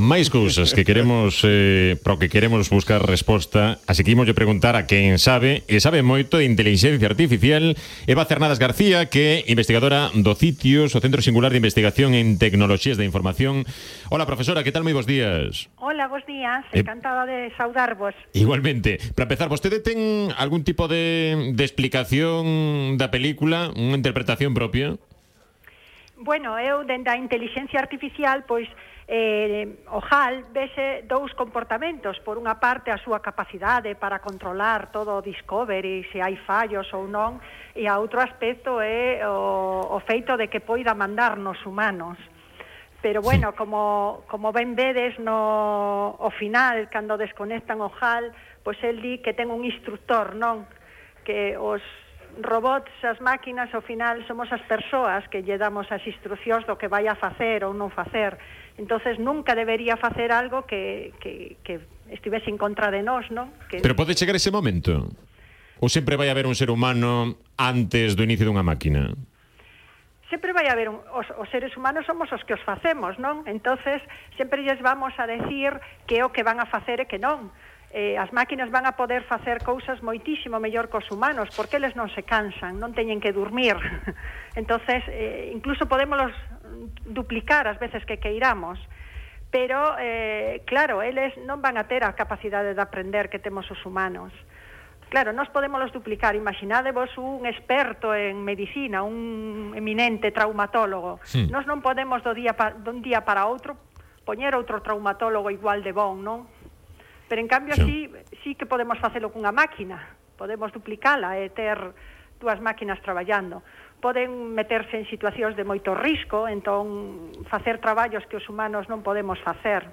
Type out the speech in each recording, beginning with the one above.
máis cousas que queremos pro que queremos buscar resposta, así que imos preguntar a quen sabe, e sabe moito de inteligencia artificial, Eva Cernadas García, que é investigadora do CITIOS, o Centro Singular de Investigación en Tecnoloxías de Información. Hola, profesora, que tal? Moi bons días. Hola, bons días, encantada de saudarvos. Igualmente. Para empezar, vostede ten algún tipo de explicación da película, unha interpretación propia? Bueno, eu, dende a inteligencia artificial, pois, o HAL vese dous comportamentos. Por unha parte, a súa capacidade para controlar todo o discovery, se hai fallos ou non, e a outro aspecto é o feito de que poida mandarnos humanos. Pero, bueno, como ben vedes, ao final, cando desconectan o HAL, pois el di que ten un instructor, non? Que os robots, as máquinas, ao final somos as persoas que lle damos as instruccións do que vai a facer ou non facer. Entonces nunca debería facer algo que estivese en contra de nós, non? Pero pode chegar ese momento? Ou sempre vai haber un ser humano antes do inicio dunha máquina? Sempre vai haber os seres humanos somos os que os facemos, non? Entonces sempre lles vamos a decir que o que van a facer e que non. As máquinas van a poder facer cousas moitísimo mellor que os humanos, porque eles non se cansan, non teñen que dormir. Entonces, incluso podemos duplicar as veces que queiramos. Pero, claro, eles non van a ter a capacidade de aprender que temos os humanos. Claro, nós podemos duplicar. Imaginádevos un experto en medicina, un eminente traumatólogo. Sí. Nós non podemos dun día para outro poñer outro traumatólogo igual de bon, non? Pero, en cambio, sí que podemos facelo cunha máquina. Podemos duplicala e ter dúas máquinas traballando. Poden meterse en situacións de moito risco, entón facer traballos que os humanos non podemos facer.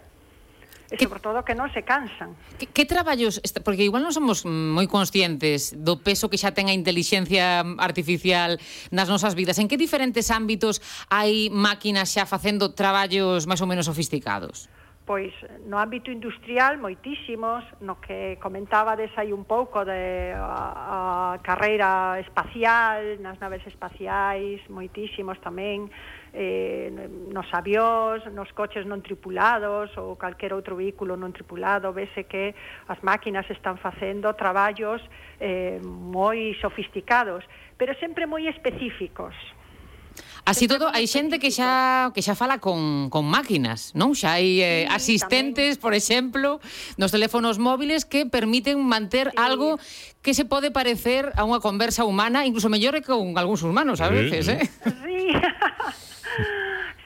E, sobre todo, que non se cansan. Que traballos, porque igual non somos moi conscientes do peso que xa ten a inteligencia artificial nas nosas vidas. En que diferentes ámbitos hai máquinas xa facendo traballos máis ou menos sofisticados? Pois no ámbito industrial moitísimos, no que comentabades aí un pouco de a carreira espacial, nas naves espaciais, moitísimos tamén, nos avións, nos coches non tripulados ou calquer outro vehículo non tripulado, vese que as máquinas están facendo traballos moi sofisticados, pero sempre moi específicos. Así todo, hai xente que xa fala con máquinas, non? Xa hai asistentes, tamén, por exemplo, nos teléfonos móviles que permiten manter algo que se pode parecer a unha conversa humana, incluso mellor que con algúns humanos, a veces,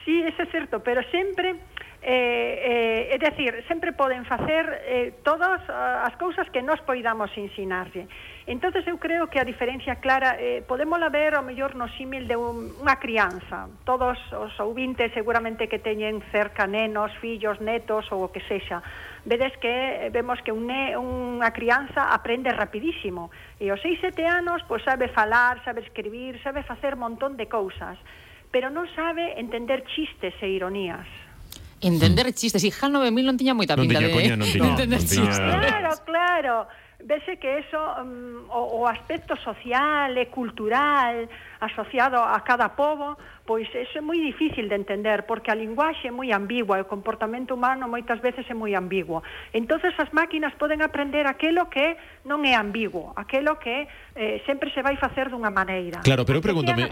Sí, eso é certo, pero sempre... é dicir, sempre poden facer todas as cousas que nós poidamos ensinarlle. Entonces eu creo que a diferencia clara podémola ver ao mellor no símil de unha crianza. Todos os ouvintes seguramente que teñen cerca nenos, fillos, netos ou o que sexa. Vemos que unha crianza aprende rapidísimo e aos 6-7 anos pois sabe falar, sabe escribir, sabe facer un montón de cousas, pero non sabe entender chistes e ironías. Entender chistes, e HAL 9000 non tiña moita pinta de entender chistes. Claro. Vese que eso, o aspecto social e cultural asociado a cada pobo, pois eso é moi difícil de entender, porque a linguaxe é moi ambigua, e o comportamento humano moitas veces é moi ambiguo. Entonces as máquinas poden aprender aquelo que non é ambiguo, aquelo que sempre se vai facer dunha maneira. Claro, pero pregúntame,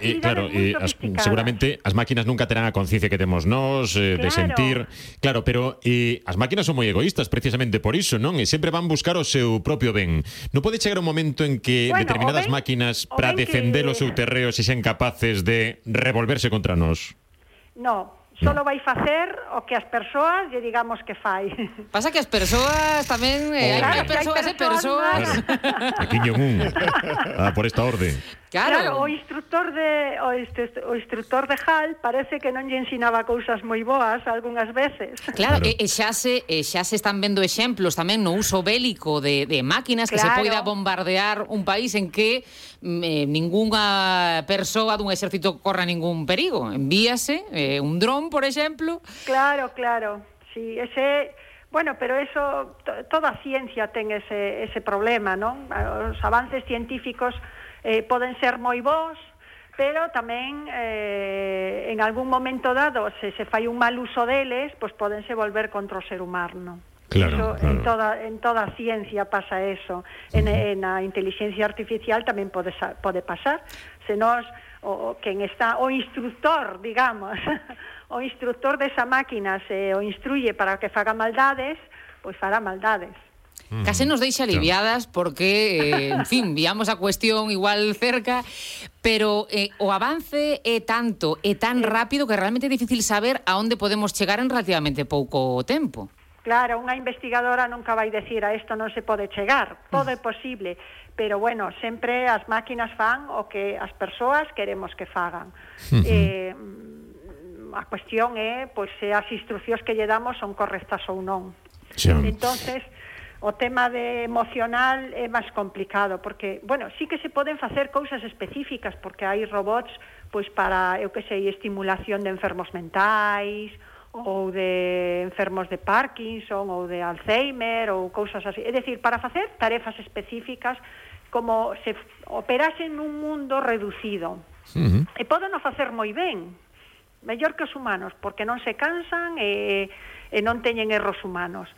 seguramente as máquinas nunca terán a conciencia que temos nós, de sentir. Claro, pero as máquinas son moi egoístas precisamente por iso, non? E sempre van buscar o seu propio ben. Non pode chegar un momento en que determinadas máquinas, para defender o seu terreo, se xen capaces de revolverse contra nós? No, solo vai facer o que as persoas lle digamos que fai. Pasa que as persoas tamén hai persoas e persoas. Aquí non por esta orde. Claro, o instructor de HAL parece que non lle ensinaba cousas moi boas algunhas veces. Claro, e xa se están vendo exemplos tamén no uso bélico de máquinas, que se poida bombardear un país en que ningunha persoa dun exército corra ningún perigo. Envíase un dron, por exemplo. Claro. Sí, bueno, pero eso, toda a ciencia ten ese problema, non? Os avances científicos poden ser moi bons, pero tamén en algún momento dado, se fai un mal uso deles, pois pódense volver contra o ser humano. Claro, Eso, claro. en toda a ciencia pasa eso. En a inteligencia artificial tamén pode pasar. Se nos quen está o instructor, digamos, o instructor desa máquina se o instruye para que faga maldades, pois fará maldades. Case nos deixa aliviadas porque, en fin, viamos a cuestión igual cerca, pero o avance é tanto, é tan rápido que realmente é difícil saber a onde podemos chegar en relativamente pouco tempo. Claro, unha investigadora nunca vai decir a isto non se pode chegar, todo é posible, pero bueno, sempre as máquinas fan o que as persoas queremos que fagan. A cuestión é pois, se as instruccións que lle damos son correctas ou non. Sí. Entonces, o tema de emocional é máis complicado, porque, bueno, sí que se poden facer cousas específicas, porque hai robots pois para, eu que sei, estimulación de enfermos mentais, ou de enfermos de Parkinson ou de Alzheimer ou cousas así. É dicir, para facer tarefas específicas como se operasen nun mundo reducido. E poden o facer moi ben, mellor que os humanos, porque non se cansan e non teñen erros humanos.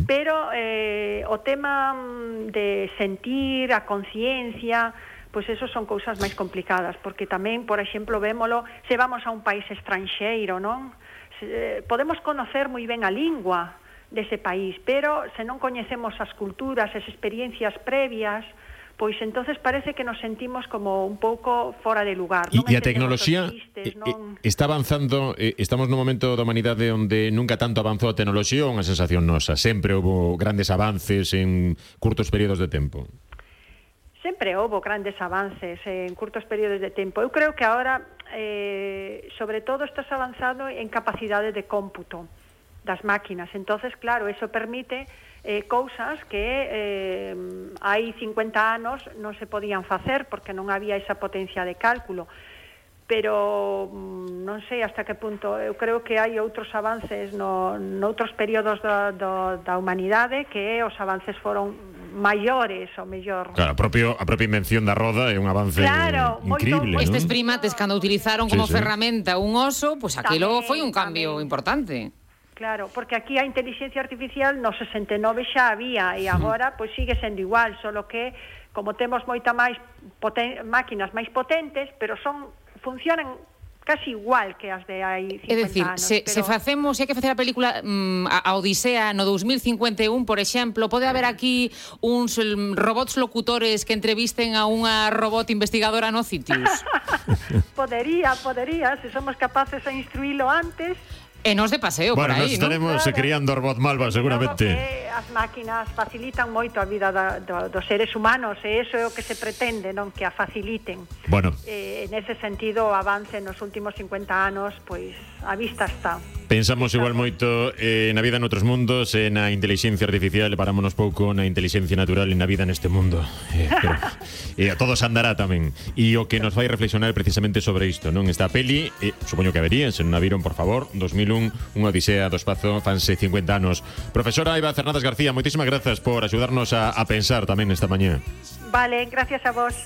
Pero o tema de sentir, a conciencia, pois eso son cousas máis complicadas, porque tamén, por exemplo, vémolo, se vamos a un país estranxeiro, non? Podemos conocer moi ben a lingua dese país, pero se non coñecemos as culturas, as experiencias previas, pois entonces parece que nos sentimos como un pouco fora de lugar. E a tecnoloxía está avanzando, estamos nun momento da humanidade onde nunca tanto avanzou a tecnoloxía, ou unha sensación nosa? Sempre houve grandes avances en curtos períodos de tempo? Sempre houve grandes avances en curtos períodos de tempo. Eu creo que agora, sobre todo, estás avanzado en capacidade de cómputo das máquinas. Entonces, claro, eso permite cousas que hai 50 anos non se podían facer porque non había esa potencia de cálculo. Pero non sei hasta que punto. Eu creo que hai outros avances noutros períodos da humanidade que os avances foron maiores, ou mellor. Claro, a propia invención da roda é un avance increíble, ¿no? Estes primates, cando utilizaron como ferramenta un oso, pues aquilo foi un cambio importante. Claro, porque aquí a inteligencia artificial no 69 xa había e agora pois sigue sendo igual, solo que como temos moita máis máquinas máis potentes, pero funcionan casi igual que as de hai 50 anos. É dicir, se hai que facer a película a Odisea no 2051, por exemplo, pode haber aquí uns robots locutores que entrevisten a unha robot investigadora no Citius? Podería, se somos capaces de instruílo antes. E nos de paseo por aí, nos estaremos criando robot malva, seguramente. As máquinas facilitan moito a vida dos seres humanos, e iso é o que se pretende, non? Que a faciliten. Bueno. Nese sentido, o avance nos últimos 50 anos, pois, a vista está. Pensamos igual moito na vida noutros mundos, na inteligencia artificial, parámonos pouco na inteligencia natural e na vida neste mundo. Pero todo se andará tamén. E o que nos fai reflexionar precisamente sobre isto, non? Esta peli, supoño que verían, se non a viron, por favor, 2001, unha odisea do espazo, fanse 50 anos. Profesora Eva Cernadas García, moitísimas grazas por axudarnos a pensar tamén esta mañá. Vale, gracias a vos.